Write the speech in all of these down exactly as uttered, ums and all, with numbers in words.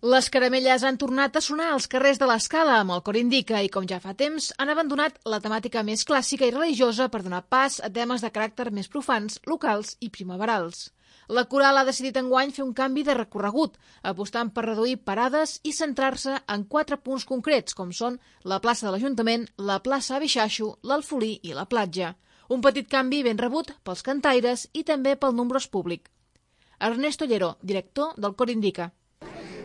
Les caramelles han tornat a sonar als carrers de l'Escala amb el Cor Indica i, com ja fa temps, han abandonat la temàtica més clàssica i religiosa per donar pas a temes de caràcter més profans, locals i primaverals. La coral ha decidit enguany fer un canvi de recorregut, apostant per reduir parades i centrar-se en quatre punts concrets, com són la plaça de l'Ajuntament, la plaça Abixaixo, l'Alfolí i la platja. Un petit canvi ben rebut pels cantaires i també pel nombrós públic. Ernesto Lleró, director del Cor Indica.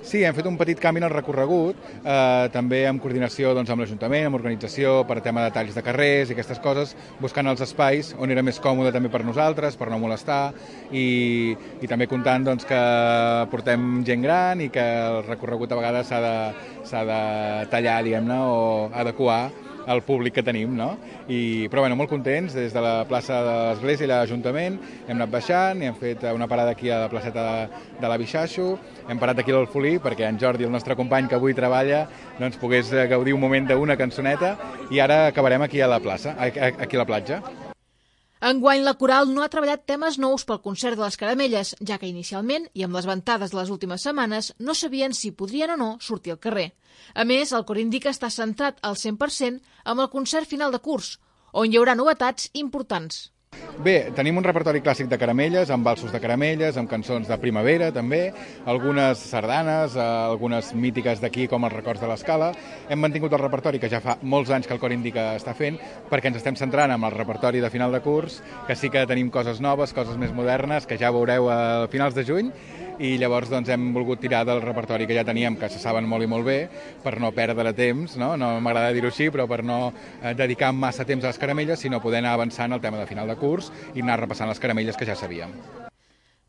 Sí, hem fet un petit canvi en el recorregut, eh, també en coordinació doncs, amb l'Ajuntament, amb organització, per tema de talls de carrers i aquestes coses, buscant els espais on era més còmode també per nosaltres, per no molestar, i, i també comptant doncs, que portem gent gran i que el recorregut a vegades s'ha de, s'ha de tallar, diguem-ne, o adequar al públic que tenim, no? I, però bueno, molt contents, des de la plaça de l'Església i l'Ajuntament hem anat baixant i hem fet una parada aquí a la placeta de, de l'Abixaixo, hem parat aquí a l'Alfolí perquè en Jordi, el nostre company que avui treballa, doncs pogués gaudir un moment d'una cançoneta i ara acabarem aquí a la plaça, aquí a la platja. Enguany la coral no ha treballat temes nous pel concert de les caramelles, ja que inicialment, i amb les ventades de les últimes setmanes, no sabien si podrien o no sortir al carrer. A més, el Cor Indica està centrat al cent per cent amb el concert final de curs, on hi haurà novetats importants. Bé, tenim un repertori clàssic de caramelles, amb valsos de caramelles, amb cançons de primavera també, algunes sardanes, algunes mítiques d'aquí com els records de l'Escala. Hem mantingut el repertori que ja fa molts anys que el Cor Indica està fent, perquè ens estem centrant en el repertori de final de curs, que sí que tenim coses noves, coses més modernes, que ja veureu a finals de juny, i llavors doncs, hem volgut tirar del repertori que ja teníem, que se saben molt i molt bé, per no perdre temps, no, no m'agrada dir-ho així, però per no eh, dedicar massa temps a les caramelles, sinó poder anar avançant el tema de final de curs i anar repassant les caramelles que ja sabíem.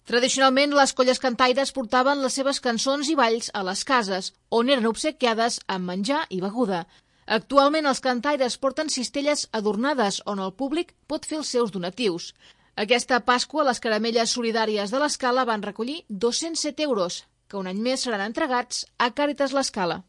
Tradicionalment, les colles cantaires portaven les seves cançons i balls a les cases, on eren obsequiades amb menjar i beguda. Actualment, els cantaires porten cistelles adornades on el públic pot fer els seus donatius. Aquesta Pasqua, les caramelles solidàries de l'Escala van recollir dos-cents set euros, que un any més seran entregats a Càritas l'Escala.